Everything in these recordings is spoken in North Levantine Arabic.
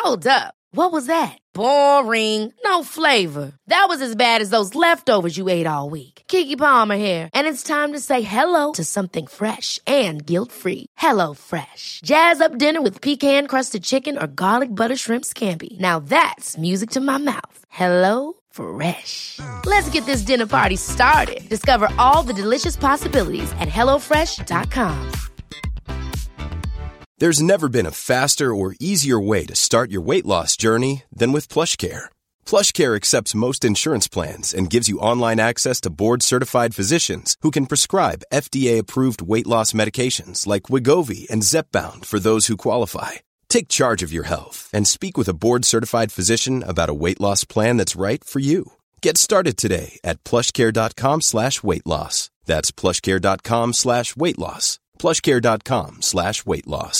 Hold up. What was that? Boring. No flavor. That was as bad as those leftovers you ate all week. Keke Palmer here, and it's time to say hello to something fresh and guilt-free. Hello Fresh. Jazz up dinner with pecan-crusted chicken or garlic butter shrimp scampi. Now that's music to my mouth. Hello Fresh. Let's get this dinner party started. Discover all the delicious possibilities at HelloFresh.com. There's never been a faster or easier way to start your weight loss journey than with PlushCare. PlushCare accepts most insurance plans and gives you online access to board-certified physicians who can prescribe FDA-approved weight loss medications like Wegovy and Zepbound for those who qualify. Take charge of your health and speak with a board-certified physician about a weight loss plan that's right for you. Get started today at plushcare.com/weightloss. That's plushcare.com/weightloss. plushcare.com/weightloss.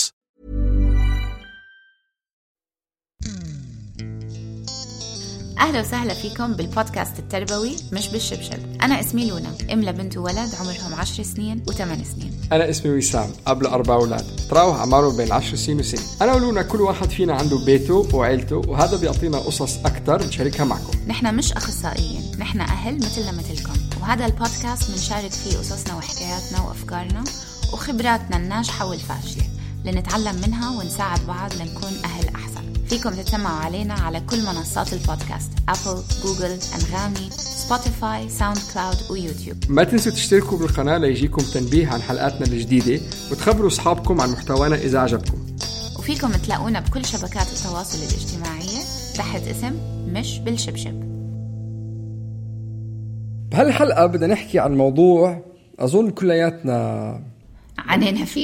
أهلا وسهلا فيكم بالبودكاست التربوي مش بالشبشب. أنا اسمي لونا، أم لبنت وولد عمرهم 10 سنين و8 سنين. أنا اسمي وسام، قبل 4 أولاد، تراوح أعمارهم بين 10 سنين وسنة. أنا ولونا كل واحد فينا عنده بيته وعيلته، وهذا بيعطينا قصص أكتر نشاركها معكم. نحن مش أخصائيين، نحن أهل مثلنا مثلكم، وهذا البودكاست بنشارك فيه قصصنا وحكاياتنا وأفكارنا وخبراتنا الناجحة والفاشلة لنتعلم منها ونساعد بعض لنكون أهل أحسن. فيكم تتسمعوا علينا على كل منصات البودكاست: أبل، جوجل، أنغامي، سبوتيفاي، ساوند كلاود ويوتيوب. ما تنسوا تشتركوا بالقناة ليجيكم تنبيه عن حلقاتنا الجديدة، وتخبروا أصحابكم عن محتوانا إذا عجبكم. وفيكم تلاقونا بكل شبكات التواصل الاجتماعية تحت اسم مش بالشبشب. بهالحلقة بدنا نحكي عن موضوع أظن كلياتنا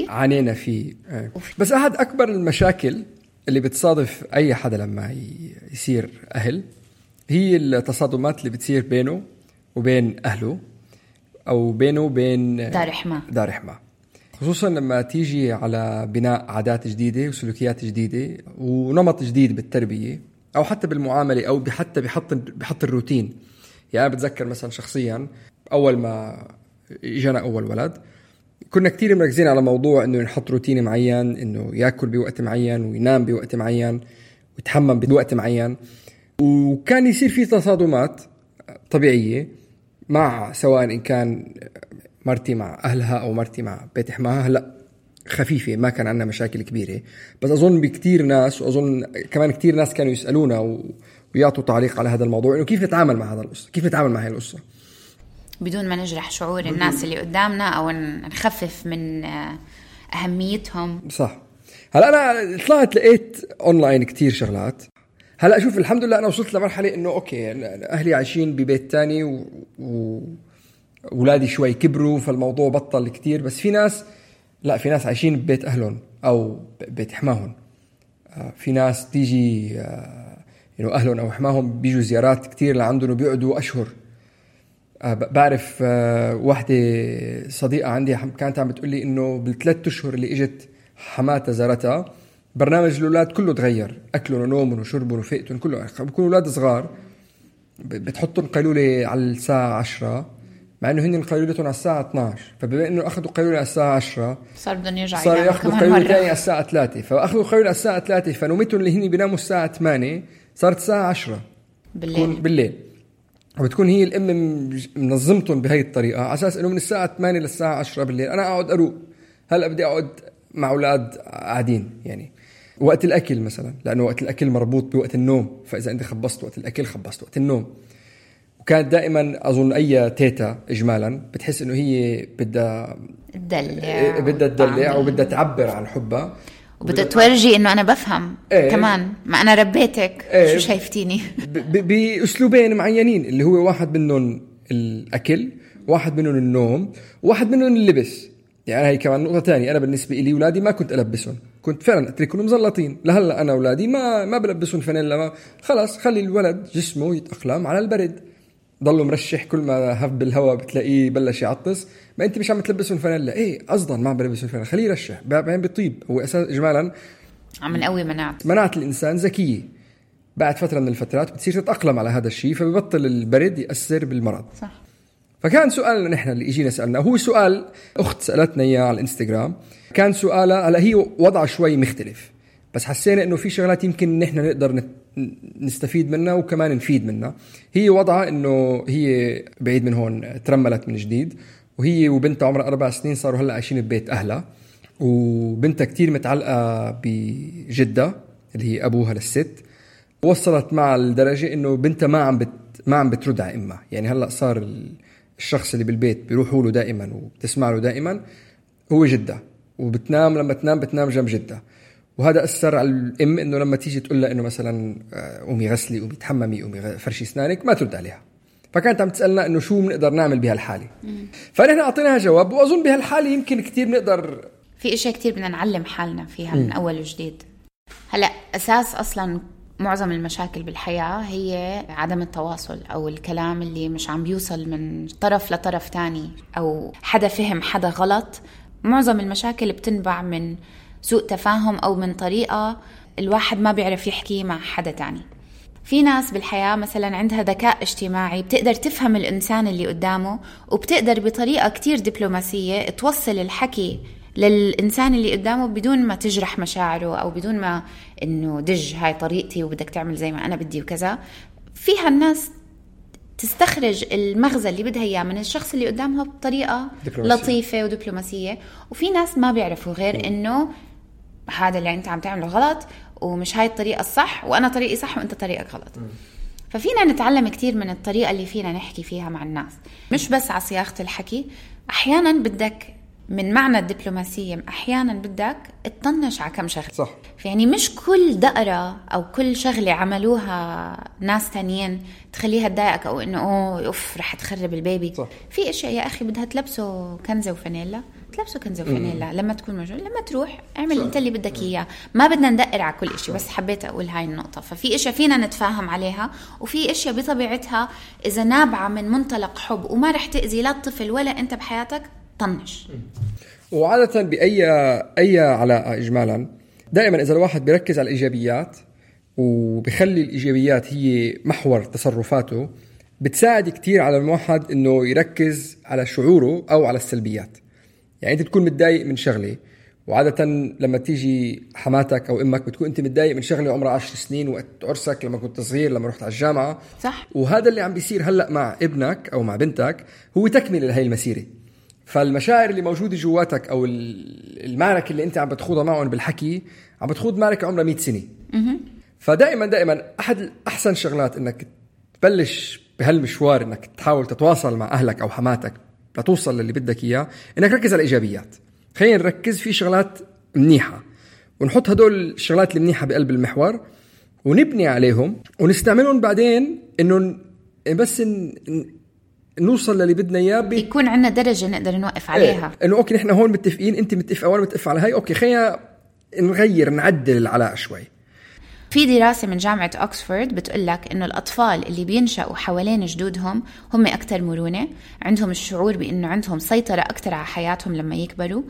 عانينا فيه. بس أحد أكبر المشاكل اللي بتصادف أي حدا لما يصير أهل هي التصادمات اللي بتصير بينه وبين أهله، أو بينه وبين دار حما، خصوصا لما تيجي على بناء عادات جديدة وسلوكيات جديدة ونمط جديد بالتربية، أو حتى بالمعاملة، أو حتى بحط الروتين. يعني أنا بتذكر مثلا شخصيا أول ما إجانا أول ولد كنا كتير مركزين على موضوع إنه نحط روتين معين، إنه يأكل بوقت معين وينام بوقت معين ويتحمم بوقت معين، وكان يصير فيه تصادمات طبيعية مع سواء إن كان مرتي مع أهلها أو مرتي مع بيت حماها. هلأ خفيفة، ما كان عندنا مشاكل كبيرة، بس أظن بكتير ناس، وأظن كمان كتير ناس كانوا يسألونا ويعطوا تعليق على هذا الموضوع، إنه كيف نتعامل مع هذا القصة، كيف نتعامل مع هاي القصة بدون ما نجرح شعور الناس اللي قدامنا أو نخفف من أهميتهم. صح. هلأ أنا طلعت لقيت أونلاين كتير شغلات. هلأ أشوف الحمد لله أنا وصلت لمرحلة إنه أوكي أهلي عايشين ببيت تاني وولادي شوي كبروا، فالموضوع بطل كتير. بس في ناس لا، في ناس عايشين ببيت أهلهم أو بيت حماهم. في ناس تيجي إنه أهلهم أو حماهم بيجوا زيارات كتير لعندهم وبيقعدوا أشهر. بعرف واحدة صديقة عندي كانت عم بتقول لي إنه بال3 أشهر اللي إجت حماتها زارتها برنامج الأولاد كله تغير، أكلهم ونومهم وشربهم وفئتهم كله. بيكونوا أولاد صغار بتحطهم قيلولة على الساعة 10، مع إنه هن قيلولتهم على الساعة 12، فبما إنه أخذوا قيلولة على الساعة 10 صار بدهم يرجعوا صار يأخذوا قيلولة تانية على الساعة 3، فأخذوا قيلولة على الساعة 3، فنومتهم اللي هن بيناموا الساعة 8 صارت الساعة 10 بالليل. وبتكون هي الأم منظمتهم بهاي الطريقة على أساس إنه من الساعة 8 للساعة 10 بالليل أنا أقعد أروق. هلأ بدي أقعد مع أولاد قاعدين، يعني وقت الأكل مثلا، لأنه وقت الأكل مربوط بوقت النوم، فإذا أنت خبصت وقت الأكل خبصت وقت النوم. وكانت دائما أظن أي تيتا إجمالا بتحس إنه هي بدها تدلع وبدها تعبر عن حبها وبدها تورجي إنه أنا بفهم كمان، ما أنا ربيتك شو شايفتيني بأسلوبين معينين، اللي هو واحد منهم الأكل، واحد منهم النوم، واحد منهم اللبس. يعني هاي كمان نقطة تانية. أنا بالنسبة لي ولادي ما كنت ألبسهم، كنت فعلا أتركهم مزلطين. لهلا أنا ولادي ما بلبسهم فانيلا، خلاص خلي الولد جسمه يتأقلم على البرد، ضله مرشح، كل ما هف بالهواء بتلاقيه بلش يعطس. ما أنت مش عم تلبسهم فانيلا، إيه قصدا ما بلبسهم فانيلا، خليه يرشح بعدين بيطيب. هو أساس إجمالا عم نقوي مناعة الإنسان ذكية. بعد فترة من الفترات بتصير تتأقلم على هذا الشيء، فبيبطل البرد يأثر بالمرض. صح. فكان سؤالنا نحن اللي إجينا سألنا، هو سؤال أخت سألتنا إياه على الإنستغرام. كان سؤالها، هلا هي وضع شوي مختلف، بس حسينا إنه في شغلات يمكن نحن نقدر نستفيد منها وكمان نفيد منها. هي وضعها إنه هي بعيد من هون، ترملت من جديد، وهي وبنتها عمرها 4 سنين صاروا هلأ عايشين ببيت أهلها، وبنتها كتير متعلقة بجدة اللي هي أبوها للست. وصلت مع الدرجة إنه بنتها ما عم بترد على إمها. يعني هلأ صار الشخص اللي بالبيت بيروحوا له دائما وبتسمع له دائما هو جدة، وبتنام لما تنام بتنام جنب جدة. وهذا أثر على الأم إنه لما تيجي تقول لها إنه مثلا قومي غسلي، قومي تحممي، قومي فرشي أسنانك، ما ترد عليها. فكانت عم تسألنا إنه شو بنقدر نعمل بهالحالة. فنحن أعطيناها جواب، وأظن بهالحالة يمكن كتير نقدر، في إشياء كتير بدنا نعلم حالنا فيها من أول وجديد. هلأ أساس أصلا معظم المشاكل بالحياة هي عدم التواصل، أو الكلام اللي مش عم بيوصل من طرف لطرف تاني، أو حدا فهم حدا غلط. معظم المشاكل بتنبع من سوء تفاهم، أو من طريقة الواحد ما بيعرف يحكي مع حدا تاني. في ناس بالحياة مثلا عندها ذكاء اجتماعي، بتقدر تفهم الإنسان اللي قدامه، وبتقدر بطريقة كتير دبلوماسية توصل الحكي للإنسان اللي قدامه بدون ما تجرح مشاعره، أو بدون ما إنه دج هاي طريقتي وبدك تعمل زي ما أنا بدي وكذا. فيها الناس تستخرج المغزى اللي بدها إياه من الشخص اللي قدامها بطريقة لطيفة ودبلوماسية. وفي ناس ما بيعرفوا غير إنه هذا اللي أنت عم تعمله غلط، ومش هاي الطريقة الصح، وأنا طريقي صح وأنت طريقك غلط. ففينا نتعلم كتير من الطريقة اللي فينا نحكي فيها مع الناس، مش بس على صياغة الحكي. أحيانا بدك من معنى الدبلوماسية، أحيانا بدك تطنش على كم شغلة. صح. يعني مش كل دقرة أو كل شغلة عملوها ناس تانيين تخليها تضايقك، أو إنه أوف رح تخرب البيبي. صح. في إشياء يا أخي بدها تلبسه كنزة وفانيلا، تلبسه كنزة وفانيلا لما تكون موجود. لما تروح اعمل انت اللي بدك اياه. ما بدنا ندقر على كل إشي، بس حبيت أقول هاي النقطة. ففي إشياء فينا نتفاهم عليها، وفي إشياء بطبيعتها إذا نابعة من منطلق حب وما رح تأذي لا الطفل ولا أنت بحياتك، طنش. وعادة بأي علاقة إجمالا دائما إذا الواحد بيركز على الإيجابيات وبيخلي الإيجابيات هي محور تصرفاته، بتساعد كتير على الواحد إنه يركز على شعوره أو على السلبيات. يعني أنت تكون متضايق من شغلة، وعادة لما تيجي حماتك أو أمك بتكون أنت متضايق من شغلة عمرها 10 سنين وقت عرسك، لما كنت صغير، لما رحت على الجامعة. صح. وهذا اللي عم بيصير هلأ مع ابنك أو مع بنتك هو تكمل لهي المسيرة. فالمشاعر اللي موجودة جواتك أو المعركة اللي أنت عم بتخوضها معهم بالحكي، عم بتخوض معركة عمرها 100 سنة. فدائما أحد أحسن شغلات إنك تبلش بهالمشوار، إنك تحاول تتواصل مع أهلك أو حماتك لتوصل للي بدك إياه، إنك ركز على الإيجابيات. خلينا نركز في شغلات منيحة ونحط هدول الشغلات المنيحة بقلب المحور ونبني عليهم ونستعملهم بعدين، إنه بس نوصل للي بدنا إياه يكون عندنا درجة نقدر نوقف عليها. إنه أوكي نحن هون متفقين، أنت متفق وأنا متفق على هاي، أوكي خلينا نغير نعدل العلاقة شوي. في دراسة من جامعة أكسفورد بتقولك إنه الأطفال اللي بينشأوا حوالين جدودهم هم أكتر مرونة، عندهم الشعور بإنه عندهم سيطرة أكتر على حياتهم لما يكبروا.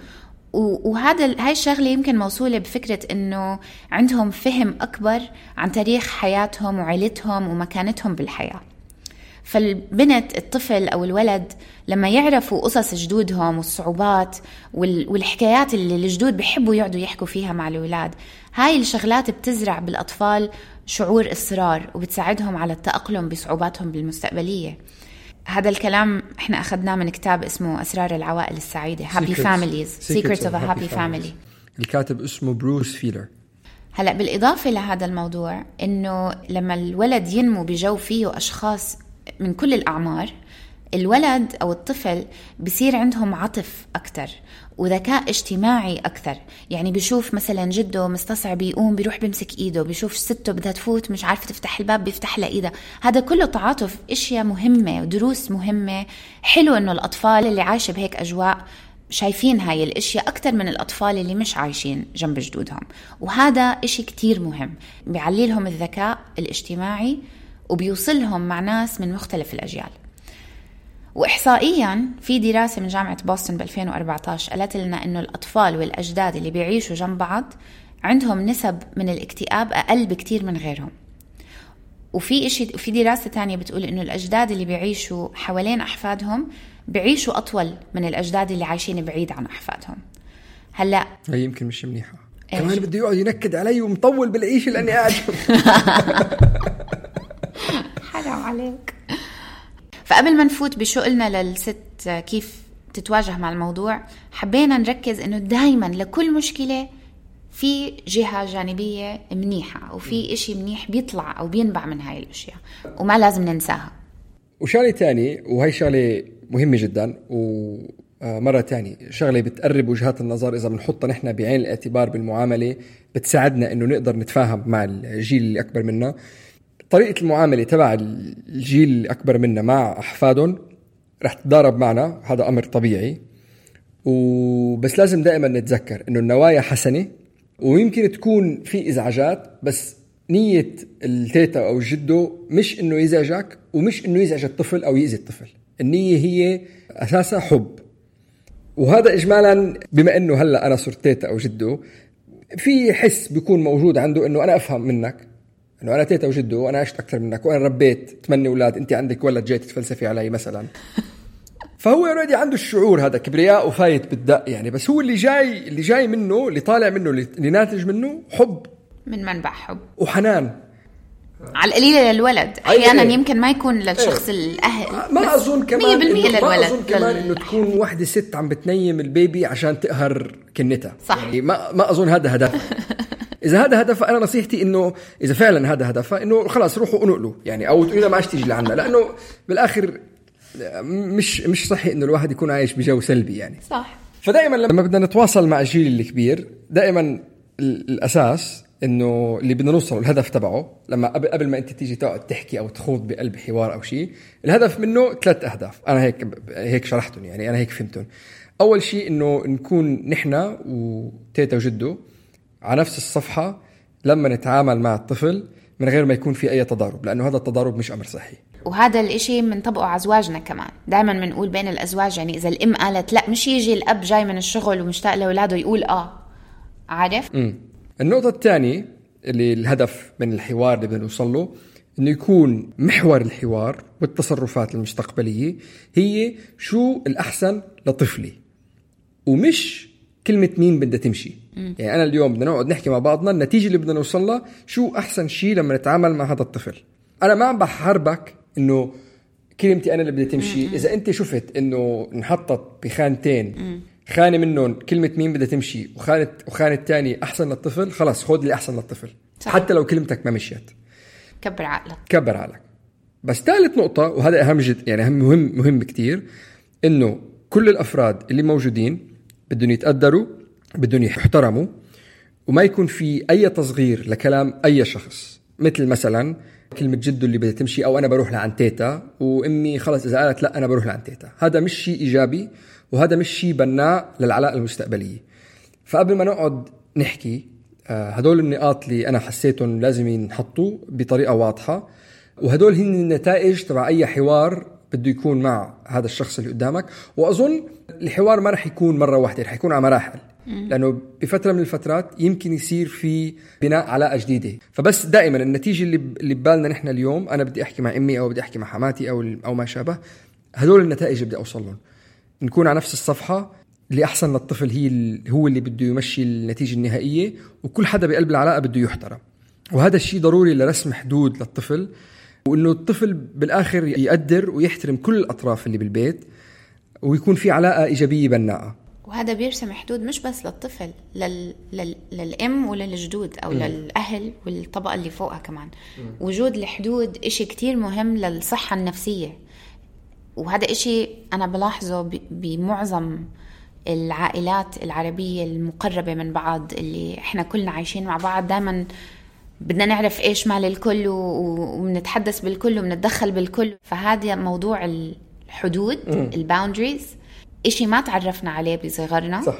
هاي الشغلة يمكن موصولة بفكرة إنه عندهم فهم أكبر عن تاريخ حياتهم وعيلتهم ومكانتهم بالحياة. فالبنت الطفل أو الولد لما يعرفوا قصص جدودهم والصعوبات والحكايات اللي الجدود بيحبوا يقعدوا يحكوا فيها مع الأولاد، هاي الشغلات بتزرع بالأطفال شعور إصرار وبتساعدهم على التأقلم بصعوباتهم بالمستقبلية. هذا الكلام احنا أخذناه من كتاب اسمه أسرار العوائل السعيدة، Happy Families, Secrets of a Happy Family. الكاتب اسمه بروس فيلر. هلأ بالإضافة لهذا الموضوع، إنه لما الولد ينمو بجو فيه أشخاص من كل الأعمار، الولد أو الطفل بيصير عندهم عطف أكتر وذكاء اجتماعي أكتر. يعني بيشوف مثلا جده مستصعب يقوم، بيروح بيمسك إيده، بيشوف سته بدها تفوت مش عارفة تفتح الباب، بيفتح لها إيده. هذا كله تعاطف، إشياء مهمة ودروس مهمة. حلو إنه الأطفال اللي عايشة بهيك أجواء شايفين هاي الاشياء اكتر من الاطفال اللي مش عايشين جنب جدودهم، وهذا اشي كتير مهم، بيعلي لهم الذكاء الاجتماعي وبيوصلهم مع ناس من مختلف الاجيال. واحصائيا في دراسة من جامعة بوسطن ب2014 قالت لنا انه الاطفال والاجداد اللي بيعيشوا جنب بعض عندهم نسب من الاكتئاب اقل بكتير من غيرهم. وفي دراسة تانية بتقول انه الاجداد اللي بيعيشوا حوالين احفادهم بيعيشوا أطول من الأجداد اللي عايشين بعيد عن أحفادهم. هلأ هي يمكن مش منيحة. كمان بده يقعد ينكد علي ومطول بالعيشة لأني قاعد. حرام عليك. فقبل ما نفوت بشغلنا للست كيف تتواجه مع الموضوع، حبينا نركز إنه دايما لكل مشكلة في جهة جانبية منيحة وفي إشي منيح بيطلع أو بينبع من هاي الأشياء وما لازم ننساها. وشغلة تاني، وهي شغلة مهمة جدا، ومرة تاني شغلة بتقرب وجهات النظر إذا بنحطها نحن بعين الاعتبار بالمعاملة، بتساعدنا إنه نقدر نتفاهم مع الجيل اللي أكبر منا. طريقة المعاملة تبع الجيل اللي أكبر منا مع أحفادهم رح تتضارب معنا، هذا أمر طبيعي. وبس لازم دائما نتذكر إنه النوايا حسنة، ويمكن تكون في إزعاجات، بس نية التيتا أو الجدو مش إنه يزعجك ومش إنه يزعج الطفل أو يأذي الطفل. النية هي أساسها حب. وهذا إجمالا بما إنه هلأ أنا صرت تيتا أو جدو، في حس بيكون موجود عنده إنه أنا أفهم منك، إنه أنا تيتا وجدو وأنا عشت أكثر منك وأنا ربيت 8 أولاد، أنت عندك ولد جاي تتفلسفي علي مثلا. فهو يريد عنده الشعور هذا كبرياء وفايت بالدق يعني، بس هو اللي جاي منه، اللي طالع منه، اللي ناتج منه حب، من منبع حب وحنان على القليلة للولد. أحيانا يمكن ما يكون للشخص الأهل، ما أظن كمان 100% للولد. ما أظن كمان إنه تكون واحدة ست عم بتنيم البيبي عشان تقهر كنتها، صح يعني ما أظن هذا هدف. إذا هذا هدف، أنا نصيحتي إنه إذا فعلا هذا هدفها إنه خلاص روحوا انقلوا يعني، أو تقولوا ما عادش تيجي لعنا، لأنه بالآخر مش صحي إنه الواحد يكون عايش بجو سلبي يعني. صح. فدائما لما بدنا نتواصل مع الجيل الكبير، دائما الأساس إنه اللي بدنا نوصل الهدف تبعه، لما قبل ما أنت تيجي تقعد تحكي أو تخوض بقلب حوار أو شيء، الهدف منه 3 أهداف. أنا هيك شرحتهم يعني، أنا هيك فهمتهم. أول شيء إنه نكون نحن وتيتا وجدو على نفس الصفحة لما نتعامل مع الطفل من غير ما يكون في أي تضارب، لأنه هذا التضارب مش أمر صحي. وهذا الاشي منطبقه على أزواجنا كمان. دائما منقول بين الأزواج يعني إذا الأم قالت لا، مش يجي الأب جاي من الشغل ومشتاق لأولاده يقول عارف. النقطة الثانية اللي الهدف من الحوار اللي بدنا نوصل له، إنه يكون محور الحوار والتصرفات المستقبلية هي شو الأحسن لطفلي، ومش كلمة مين بدها تمشي. يعني أنا اليوم بدنا نقعد نحكي مع بعضنا النتيجة اللي بدنا نوصلها، شو أحسن شيء لما نتعامل مع هذا الطفل. أنا ما عم بحاربك إنه كلمتي أنا اللي بدها تمشي. إذا أنت شفت إنه نحطت بخانتين، خانة منهم كلمة مين بدها تمشي وخانة تاني أحسن للطفل، خلاص خذ اللي أحسن للطفل. صح. حتى لو كلمتك ما مشيت، كبر عقلك. بس ثالث نقطة، وهذا أهم جد يعني مهم كتير، إنه كل الأفراد اللي موجودين بدهم يتقدروا، بدهم يحترموا، وما يكون في أي تصغير لكلام أي شخص. مثل مثلا كلمة جدو اللي بدها تمشي، أو أنا بروح لعن تيتا وأمي خلاص إذا قالت لا أنا بروح لعن تيتا، هذا مش شيء إيجابي، وهذا مش شيء بناء للعلاقة المستقبلية. فقبل ما نقعد نحكي هدول النقاط اللي أنا حسيتهم لازم ينحطوا بطريقة واضحة، وهدول هن النتائج تبع أي حوار بده يكون مع هذا الشخص اللي قدامك. وأظن الحوار ما رح يكون مرة واحدة، رح يكون على مراحل، لأنه بفترة من الفترات يمكن يصير في بناء علاقة جديدة. فبس دائما النتيجة اللي ببالنا نحن اليوم، أنا بدي أحكي مع أمي أو بدي أحكي مع حماتي أو ما شابه، هدول النتائج اللي بدي أوصل لهم. نكون على نفس الصفحة، اللي أحسن للطفل هو اللي بده يمشي النتيجة النهائية، وكل حدا بقلب العلاقة بده يحترم. وهذا الشيء ضروري لرسم حدود للطفل، وإنه الطفل بالآخر يقدر ويحترم كل الأطراف اللي بالبيت، ويكون في علاقة إيجابية بناءة. وهذا بيرسم حدود مش بس للطفل، للأم وللجدود أو للأهل والطبقة اللي فوقها كمان. وجود الحدود إشي كتير مهم للصحة النفسية، وهذا إشي أنا بلاحظه بمعظم العائلات العربية المقربة من بعض، اللي إحنا كلنا عايشين مع بعض. دايما بدنا نعرف إيش مال الكل وبنتحدث بالكل وبنتدخل بالكل. فهذا موضوع الحدود، الباوندريز، إشي ما تعرفنا عليه بصغرنا. صح.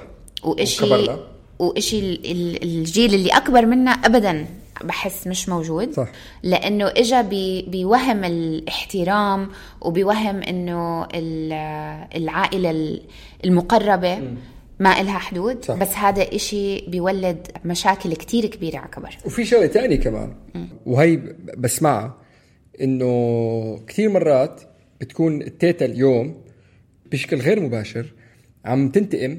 وإشي الجيل اللي أكبر منا أبدا بحس مش موجود. صح. لأنه إجا بيوهم الاحترام، وبيوهم إنه العائلة المقربة ما إلها حدود. صح. بس هذا إشي بيولد مشاكل كتير كبيرة على كبر. وفي شغلة تاني كمان، وهي بسمعها، إنه كتير مرات بتكون التيتا اليوم بشكل غير مباشر عم تنتقم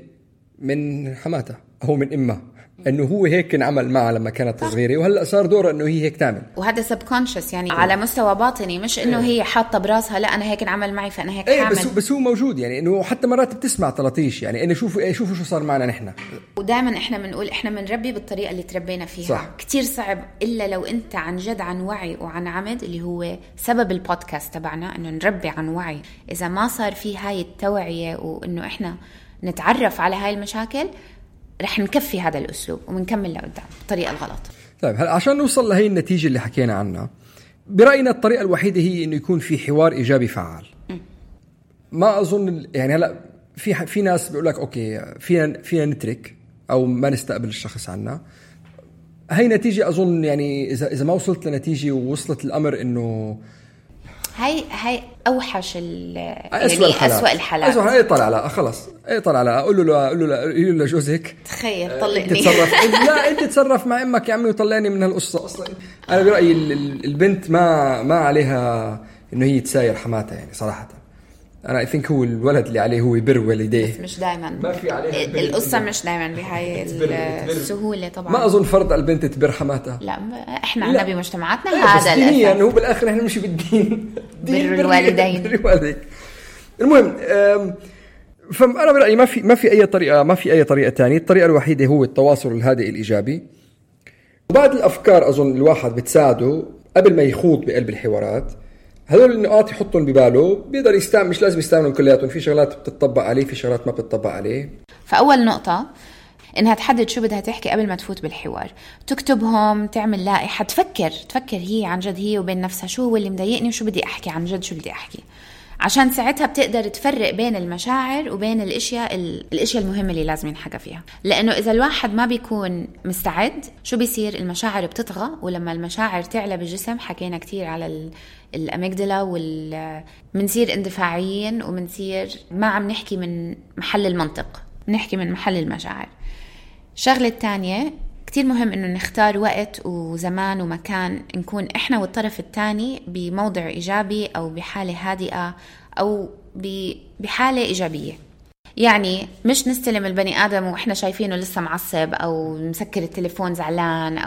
من حماتها أو من إمها، انه هو هيك انعمل معها لما كانت صغيره، وهلا صار دورها انه هي هيك تعمل. وهذا سبكونشس يعني على مستوى باطني، مش انه هي حاطه براسها لا انا هيك انعمل معي فانا هيك حامل. بس هو موجود يعني، انه حتى مرات بتسمع طلطيش يعني انه شوفوا شو صار معنا نحن. ودائما احنا بنقول احنا بنربي بالطريقه اللي تربينا فيها. صح. كتير صعب الا لو انت عن جد عن وعي وعن عمد، اللي هو سبب البودكاست تبعنا انه نربي عن وعي. اذا ما صار في هاي التوعيه وانه احنا نتعرف على هاي المشاكل، رح نكفي هذا الأسلوب ومنكمل لقدام بالطريقة الغلط. طيب هلا عشان نوصل لهي النتيجة اللي حكينا عنها، برأينا الطريقة الوحيدة هي إنه يكون في حوار إيجابي فعال. ما أظن يعني هلا في ناس بيقول لك أوكي فينا نترك أو ما نستقبل الشخص عنا. هاي نتيجة أظن يعني إذا ما وصلت لنتيجة ووصلت الأمر إنه هاي أوحش أسوأ الحالات. أسوأ يطلع على خلاص يطلع على أقول له لجوزك تخيل طلقني تتصرف لا أنت تتصرف مع أمك يا عمي وطلعني من هالقصة. أصلا أنا برأيي البنت ما عليها إنه هي تساير حماتها يعني صراحة. أنا think هو الولد اللي عليه هو يبر والديه، مش دائما ما في عليها القصة مش دائما بهاي السهولة طبعا. ما أظن فرض البنت تبر حماتها. لا إحنا عنا بمجتمعاتنا هذا الأساس يعني. هو بالآخر إحنا مش بالدين بر الوالدين. المهم فأنا برأيي ما في أي طريقة تانية. الطريقة الوحيدة هو التواصل الهادئ الإيجابي. وبعد الأفكار أظن الواحد بتساعده قبل ما يخوض بقلب الحوارات. هذول النقاط يحطهم بباله، بيقدر يستعمل، مش لازم يستعملهم كلياتهم، في شغلات بتطبق عليه في شغلات ما بتطبق عليه. فأول نقطة إنها تحدد شو بدها تحكي قبل ما تفوت بالحوار، تكتبهم، تعمل لائحة، تفكر هي عن جد هي وبين نفسها شو هو اللي مضايقني وشو بدي أحكي عن جد شو بدي أحكي، عشان ساعتها بتقدر تفرق بين المشاعر وبين الاشياء المهمة اللي لازم ينحكى فيها. لأنه إذا الواحد ما بيكون مستعد شو بيصير؟ المشاعر بتطغى، ولما المشاعر تعلى بالجسم، حكينا كتير على الأميجدلا منصير اندفاعيين ومنصير ما عم نحكي من محل المنطق، نحكي من محل المشاعر. الشغلة الثانية كتير مهم إنه نختار وقت وزمان ومكان نكون إحنا والطرف الثاني بموضع إيجابي أو بحالة هادئة أو بحالة إيجابية. يعني مش نستلم البني آدم وإحنا شايفينه لسه معصب أو مسكر التليفون زعلان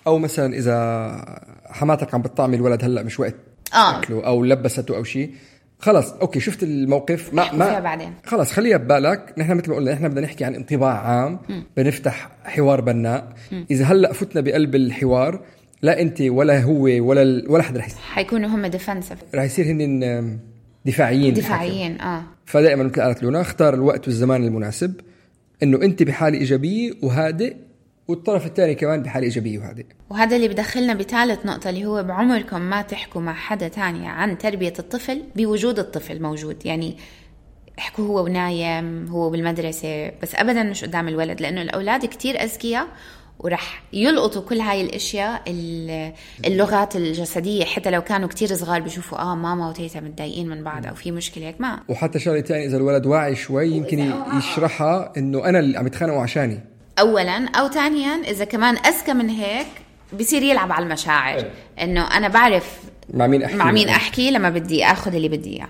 أو مثلا إذا حماتك عم بتطعمي الولد هلأ مش وقت أكله أو لبسته أو شيء، خلاص أوكي شفت الموقف ما بعدين خلاص خليها ببالك. نحن مثل ما قلنا نحن بدنا نحكي عن انطباع عام، بنفتح حوار بناء. إذا هلأ فتنا بقلب الحوار، لا أنت ولا هو ولا حد رح حيكونوا هم ديفنسيف، رح يصير هن دفاعيين. فدائما مثل قالت لونا، اختار الوقت والزمان المناسب، إنه أنت بحالة إيجابية وهادئ والطرف الثاني كمان بحالة إيجابية وهادئ. وهذا اللي بدخلنا بثالث نقطة، اللي هو بعمركم ما تحكوا مع حدا تاني عن تربية الطفل بوجود الطفل موجود. يعني احكوا هو ونايم، هو بالمدرسة، بس أبدا مش قدام الولد، لأنه الأولاد كتير أذكياء ورح يلقطوا كل هاي الاشياء، اللغات الجسديه، حتى لو كانوا كتير صغار بيشوفوا ماما وتيتا متضايقين من بعض او في مشكله هيك. ما وحتى شغله ثانيه، اذا الولد واعي شوي يمكن يشرحها انه انا اللي عم يتخانقوا عشاني اولا، او ثانيا اذا كمان اذكى من هيك بيصير يلعب على المشاعر، انه انا بعرف مع مين احكي لما بدي اخذ اللي بدي اياه.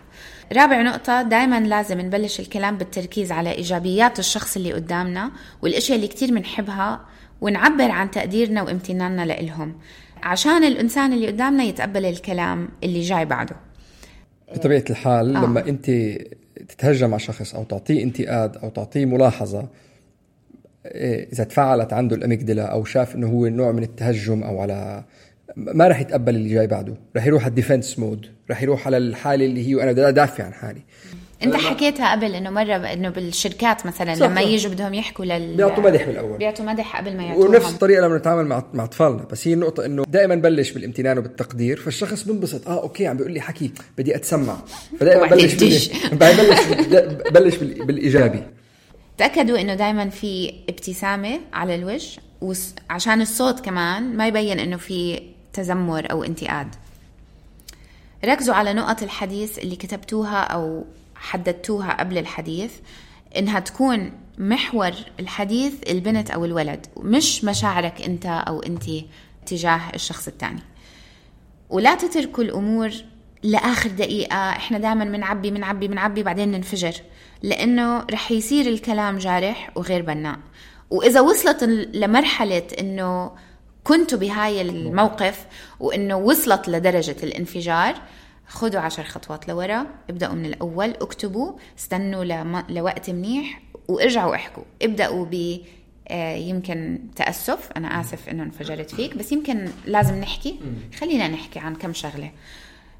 رابع نقطة، دايما لازم نبلش الكلام بالتركيز على إيجابيات الشخص اللي قدامنا والأشياء اللي كتير منحبها، ونعبر عن تقديرنا وامتناننا لإلهم، عشان الإنسان اللي قدامنا يتقبل الكلام اللي جاي بعده. بطبيعة الحال لما أنت تتهجم مع شخص أو تعطيه انتقاد أو تعطيه ملاحظة، إذا تفعلت عنده الأميجدلا أو شاف إنه هو نوع من التهجم أو على، ما رح يتقبل اللي جاي بعده، رح يروح على الديفنس مود، رح يروح على الحالة اللي هي أنا بدي أدافع عن حالي. انت حكيتها قبل انه مرة انه بالشركات مثلا لما يجوا بدهم يحكوا بيعطوا مدح بالاول، بيعطوا مدح قبل ما يعطوهم، ونفس الطريقة لما نتعامل مع اطفالنا. بس هي النقطة انه دائما بلش بالامتنان وبالتقدير، فالشخص بنبسط اوكي عم بيقول لي حكي بدي اتسمع، فدائما بلش بالايجابي. تأكدوا انه دائما في ابتسامة على الوجه، عشان الصوت كمان ما يبين انه في تذمر او انتقاد. ركزوا على نقط الحديث اللي كتبتوها او حددتوها قبل الحديث، إنها تكون محور الحديث البنت أو الولد، مش مشاعرك أنت أو أنتي تجاه الشخص التاني. ولا تتركوا الأمور لآخر دقيقة. إحنا دائما منعبي بعدين ننفجر، لأنه رح يصير الكلام جارح وغير بناء. وإذا وصلت لمرحلة إنه كنتوا بهاي الموقف وإنه وصلت لدرجة الانفجار، خدوا 10 خطوات لورا، ابدأوا من الأول، اكتبوا، استنوا لوقت منيح وارجعوا احكوا. ابدأوا ب يمكن تأسف، أنا آسف إنه انفجرت فيك، بس يمكن لازم نحكي، خلينا نحكي عن كم شغلة.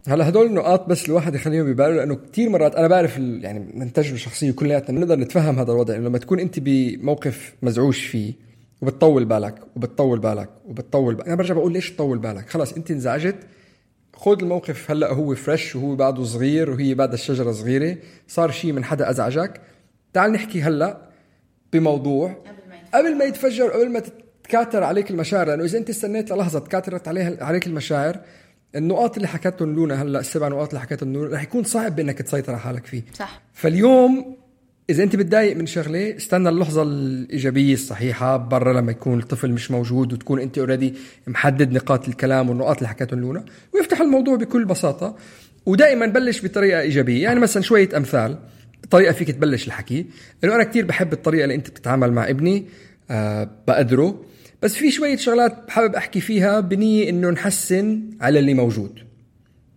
هلا هدول النقاط بس الواحد يخليهم بباله، لأنه كتير مرات أنا بعرف يعني من تجربة شخصية كلياتنا بنقدر نتفهم هذا الوضع، إنه لما تكون أنت بموقف مزعوج فيه وبتطول بالك وبتطول بالك وبتطول بالك، أنا برجع بقول ليش تطول بالك؟ خلاص أنت انزعجت، خود الموقف هلأ هو فريش وهو بعده صغير وهي بعد الشجرة صغيرة، صار شيء من حدا أزعجك، تعال نحكي هلأ بموضوع قبل ما يتفجر، قبل ما تتكاثر عليك المشاعر. لأنه إذا أنت استنيت للحظة تكاثرت عليك المشاعر، النقاط اللي حكتهم لونا هلأ، 7 نقاط اللي حكتهم لونا، رح يكون صعب بأنك تسيطر على حالك فيه. صح. فاليوم إذا أنت بتضايق من شغلة، استنى اللحظة الإيجابية الصحيحة برا لما يكون الطفل مش موجود وتكون أنت أوريدي محدد نقاط الكلام والنقاط اللي حكتهم لونا، ويفتح الموضوع بكل بساطة. ودائما بلش بطريقة إيجابية. يعني مثلا شوية أمثال طريقة فيك تبلش الحكي، إنه أنا كتير بحب الطريقة اللي أنت بتتعامل مع ابني، بقدره، بس في شوية شغلات بحابب أحكي فيها بنية إنه نحسن على اللي موجود.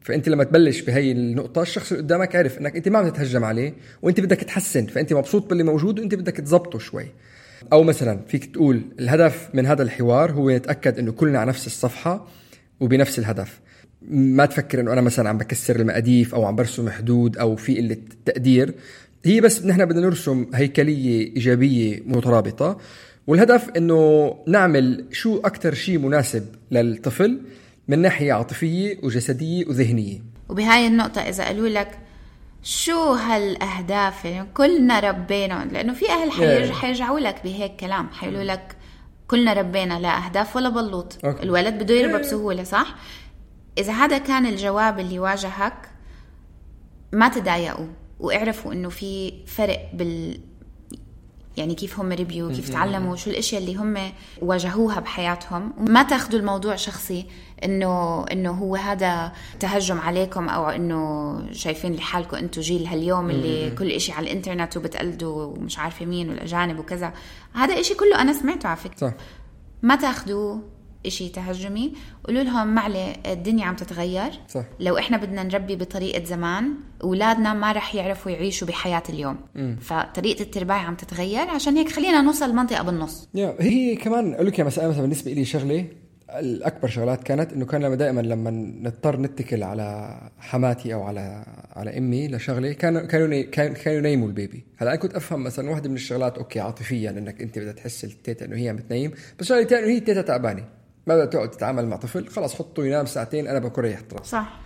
فأنت لما تبلش بهاي النقطة، الشخص اللي قدامك عارف إنك أنت ما بتتهجم عليه وأنت بدك تحسن، فأنت مبسوط باللي موجود وأنت بدك تزبطه شوي. أو مثلا فيك تقول الهدف من هذا الحوار هو نتأكد إنه كلنا على نفس الصفحة وبنفس الهدف. ما تفكر إنه أنا مثلا عم بكسر المقاديف أو عم برسم حدود أو في قلة تقدير، هي بس نحن بدنا نرسم هيكلية إيجابية مترابطة، والهدف إنه نعمل شو أكتر شيء مناسب للطفل من ناحية عاطفية وجسدية وذهنية. وبهاي النقطة إذا قالوا لك شو هالأهداف كلنا ربينا، لأنه في أهل حيرجعوا لك بهيك كلام، حيقولوا لك كلنا ربينا لا أهداف ولا بلوط. الولد بده يربى بسهولة، صح؟ إذا هذا كان الجواب اللي واجهك، ما تضايقوا واعرفوا إنه في فرق يعني كيف هم ربيوا، كيف تعلموا، شو الاشياء اللي هم واجهوها بحياتهم. وما تاخذوا الموضوع شخصي انه هو هذا تهجم عليكم، او انه شايفين لحالكم انتم جيل هاليوم اللي كل اشي على الانترنت وبتقلدوا ومش عارفه مين والاجانب وكذا. هذا اشي كله انا سمعته على فكرة. ما تاخذوا إشي تهجمي، قولوا لهم معلي الدنيا عم تتغير. صح. لو إحنا بدنا نربي بطريقة زمان، أولادنا ما رح يعرفوا يعيشوا بحياة اليوم. فطريقة الترباية عم تتغير، عشان هيك خلينا نوصل منطقة بالنص. هي كمان أقول لك مثلا بالنسبة لي شغلة الأكبر شغلات كانت إنه كان دائما لما نضطر نتكل على حماتي أو على أمي لشغلة، كانوا ينيموا البيبي. هلا أنا كنت أفهم مثلا واحدة من الشغلات أوكي عاطفيا إنك أنت بدها تحس التيتا إنه هي عم بتنيم، بس شغلة تانية إنه هي التيتا تعبانة، ما بدها تقعد تتعامل مع طفل، خلاص حطه ينام ساعتين أنا بكون ريح طرف. صح.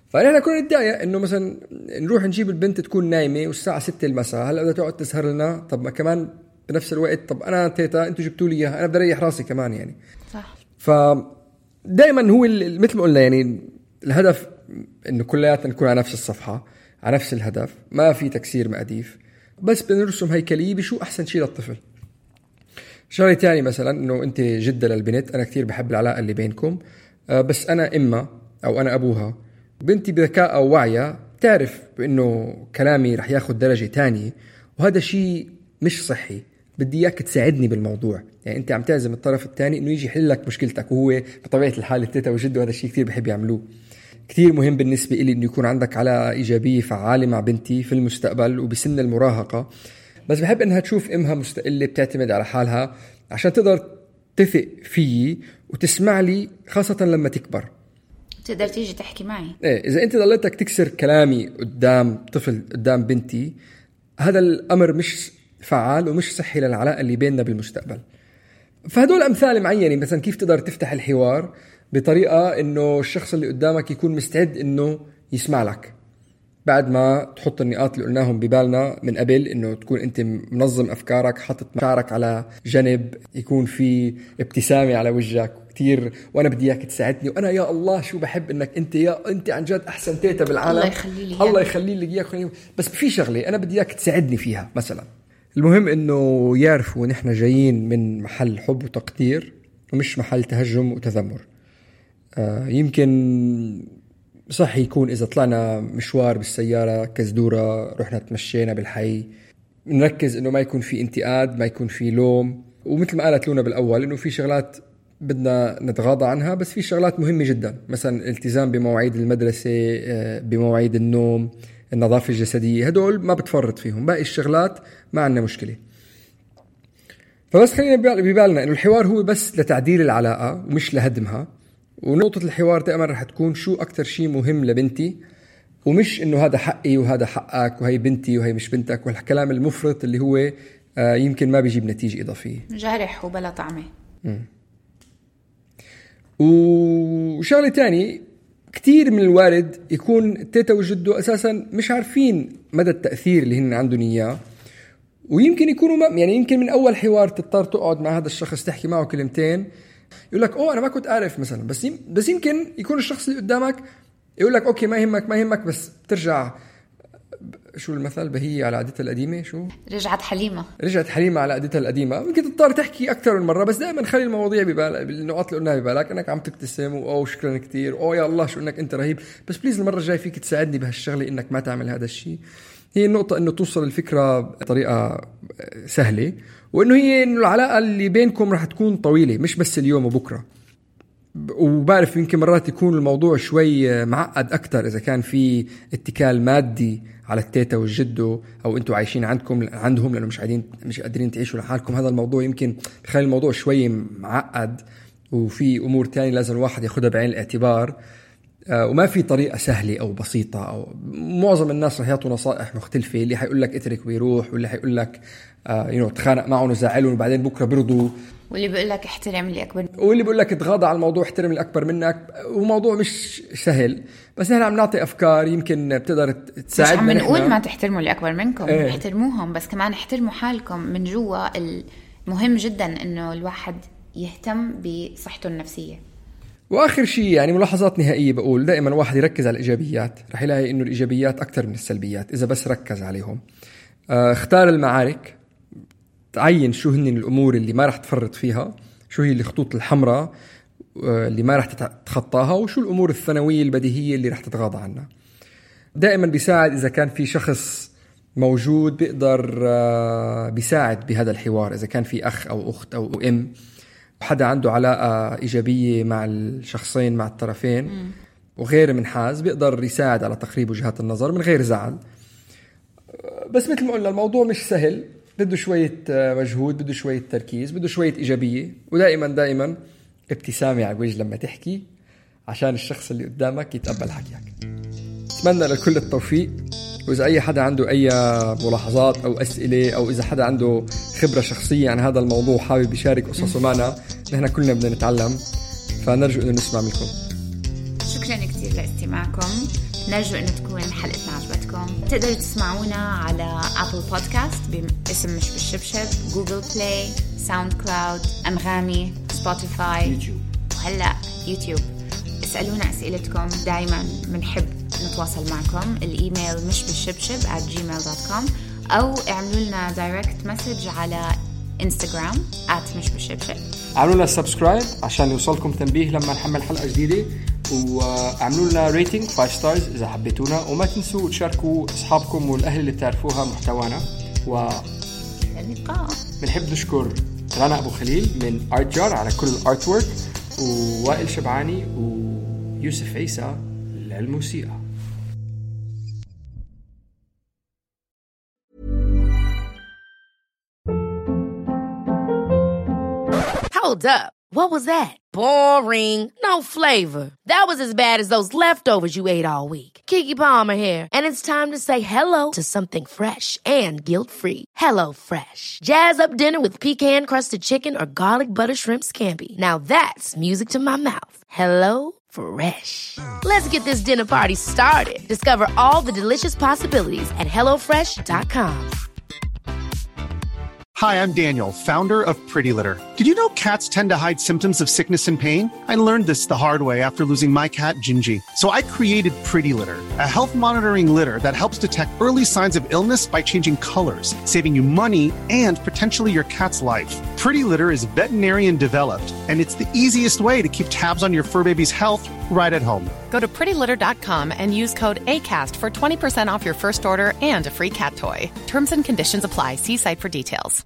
فأنا كنا نتضايق إنه مثلا نروح نجيب البنت تكون نايمة والساعة 6 المساء، هلا بدها تقعد تسهر لنا. طب ما كمان بنفس الوقت، طب أنا تيتا أنتوا جبتوا لي إياها، أنا بدي أريح راسي كمان يعني. صح. فدائما هو مثل ما قلنا يعني الهدف إنه كلياتنا نكون على نفس الصفحة، على نفس الهدف، ما في تكسير مقاديف، بس بنرسم هيكلية بشو أحسن شيء للطفل. شغلة تاني مثلا إنه أنت جدة للبنت، أنا كتير بحب العلاقة اللي بينكم، بس أنا إما أو أنا أبوها، بنتي بذكاء أو وعية تعرف بأنه كلامي رح ياخد درجة تانية، وهذا شيء مش صحي، بدي إياك تساعدني بالموضوع. يعني أنت عم تعزم الطرف الثاني إنه يجي يحل لك مشكلتك، وهو بطبيعة الحال التيتا وجده هذا الشيء كتير بحب يعملوه. كتير مهم بالنسبة إلي إنه يكون عندك علاقة إيجابية فعالة مع بنتي في المستقبل وبسن المراهقة، بس بحب إنها تشوف إمها مستقلة بتعتمد على حالها عشان تقدر تثق فيي وتسمع لي، خاصة لما تكبر تقدر تيجي تحكي معي. إذا أنت ضليتك تكسر كلامي قدام طفل، قدام بنتي، هذا الأمر مش فعال ومش صحي للعلاقة اللي بيننا بالمستقبل. فهدول أمثال معينة مثلا كيف تقدر تفتح الحوار بطريقة إنه الشخص اللي قدامك يكون مستعد إنه يسمع لك، بعد ما تحط النقاط اللي قلناهم ببالنا من قبل، إنه تكون أنت منظم أفكارك، حاطط مشاعرك على جنب، يكون في ابتسامة على وجهك كتير، وأنا بدي إياك تساعدني، وأنا يا الله شو بحب إنك أنت عن جد أحسن تيتا بالعالم، الله يخلي لي إياك. بس في شغلة أنا بدي إياك تساعدني فيها مثلا. المهم إنه يعرفوا نحن جايين من محل حب وتقدير ومش محل تهجم وتذمر. يمكن صح يكون إذا طلعنا مشوار بالسيارة كزدورة، رحنا تمشينا بالحي، نركز إنه ما يكون في انتقاد، ما يكون في لوم، ومثل ما قالت لونا بالأول إنه في شغلات بدنا نتغاضى عنها، بس في شغلات مهمة جدا، مثلا الالتزام بمواعيد المدرسة، بمواعيد النوم، النظافة الجسدية، هدول ما بتفرط فيهم. باقي الشغلات ما عندنا مشكلة. فبس خلينا ببالنا إنه الحوار هو بس لتعديل العلاقة ومش لهدمها. ونقطة الحوار دائما رح تكون شو أكتر شيء مهم لبنتي، ومش إنه هذا حقي وهذا حقك وهي بنتي وهي مش بنتك، والكلام المفرط اللي هو يمكن ما بيجيب نتيجة إضافية، جارح وبلا طعمة. وشغلة تاني، كتير من الوارد يكون تيتا وجده أساسا مش عارفين مدى التأثير اللي هن عندهم إياه، ويمكن يكونوا يعني يمكن من أول حوار تضطر تقعد مع هذا الشخص تحكي معه كلمتين يقول لك أنا ما كنت أعرف مثلا، بس يمكن يكون الشخص اللي قدامك يقول لك أوكي ما يهمك، بس ترجع شو المثل، بهي على عادتها القديمة، شو رجعت حليمة على عادتها القديمة. ممكن تضطر تحكي أكثر من مرة، بس دائما خلي المواضيع ببالك، بالنقاط اللي قلناها ببالك، أنك عم تبتسم شكرا كتير، يا الله شو إنك أنت رهيب، بس بليز المرة الجاي فيك تساعدني بهالشغلة إنك ما تعمل هذا الشيء. هي النقطة إنه توصل الفكرة بطريقة سهلة، وإنه هي إنه العلاقة اللي بينكم رح تكون طويلة، مش بس اليوم وبكرة. وبعرف يمكن مرات يكون الموضوع شوي معقد أكتر إذا كان في اتكال مادي على التيتا والجدو، أو أنتوا عايشين عندهم لأنه مش قادرين تعيشوا لحالكم. هذا الموضوع يمكن بخلي الموضوع شوي معقد، وفي أمور تانية لازم الواحد ياخدها بعين الاعتبار، وما في طريقة سهلة أو بسيطة. أو معظم الناس رح يعطوا نصائح مختلفة، اللي حيقول لك اترك ويروح، واللي حيقول لك تخانق معهم وزعلهم وبعدين بكرة برضو، واللي بيقول لك احترم اللي أكبر، واللي بيقول لك اتغاضى على الموضوع، احترم اللي أكبر منك. وموضوع مش سهل، بس نحن عم نعطي أفكار يمكن بتقدر تساعدنا. مش عم نقول ما تحترموا اللي أكبر منكم، احترموهم، بس كمان احترموا حالكم من جوا. المهم جدا إنه الواحد يهتم بصحته النفسية. وآخر شيء يعني ملاحظات نهائية، بقول دائما واحد يركز على الإيجابيات، رح يلاقي إنه الإيجابيات أكتر من السلبيات إذا بس ركز عليهم. اختار المعارك، تعين شو هن الأمور اللي ما رح تفرط فيها، شو هي الخطوط الحمراء اللي ما رح تتخطاها، وشو الأمور الثانوية البديهية اللي رح تتغاضى عنها. دائما بيساعد إذا كان في شخص موجود بيقدر بيساعد بهذا الحوار، إذا كان في أخ أو أخت أو أم، حدا عنده علاقة إيجابية مع الشخصين، مع الطرفين، وغير منحاز، بيقدر يساعد على تقريب وجهات النظر من غير زعل. بس مثل ما قلنا الموضوع مش سهل، بده شوية مجهود، بده شوية تركيز، بده شوية إيجابية، ودائما ابتسامة على الوجه لما تحكي عشان الشخص اللي قدامك يتقبل حكيك. أتمنى لكل التوفيق. وإذا أي حدا عنده أي ملاحظات أو أسئلة، أو إذا حدا عنده خبرة شخصية عن هذا الموضوع حابب يشارك قصصه معنا، نحن كلنا بدنا نتعلم، فنرجو أنه نسمع منكم. شكرا كتير لاستماعكم، نرجو أنه تكون حلقتنا عجبتكم. تقدروا تسمعونا على أبل بودكاست باسم مش بالشبشب، جوجل بلاي، ساوند كلاود، أنغامي، سبوتيفاي، وهلأ يوتيوب. اسألونا أسئلتكم، دايما منحب نتواصل معكم. الإيميل مش بالشبشب @gmail.com، أو اعملوا لنا دايركت مسج على إنستغرام @مش بالشبشب. اعملوا لنا سبسكرايب عشان يوصلكم تنبيه لما نحمل حلقة جديدة، واعملوا لنا ريتنج 5 ستارز إذا حبيتونا، وما تنسوا تشاركوا أصحابكم والأهل اللي تعرفوها محتوانا. اللقاء. بنحب نشكر رنا أبو خليل من Art Jar على كل الارت وورك، ووائل شبعاني ويوسف عيسى للموسيقى. Hold up. What was that? Boring. No flavor. That was as bad as those leftovers you ate all week. Keke Palmer here, and it's time to say hello to something fresh and guilt-free. Hello Fresh. Jazz up dinner with pecan-crusted chicken or garlic butter shrimp scampi. Now that's music to my mouth. Hello Fresh. Let's get this dinner party started. Discover all the delicious possibilities at HelloFresh.com. Hi, I'm Daniel, founder of Pretty Litter. Did you know cats tend to hide symptoms of sickness and pain? I learned this the hard way after losing my cat, Gingy. So I created Pretty Litter, a health monitoring litter that helps detect early signs of illness by changing colors, saving you money and potentially your cat's life. Pretty Litter is veterinarian developed, and it's the easiest way to keep tabs on your fur baby's health right at home. Go to prettylitter.com and use code ACAST for 20% off your first order and a free cat toy. Terms and conditions apply. See site for details.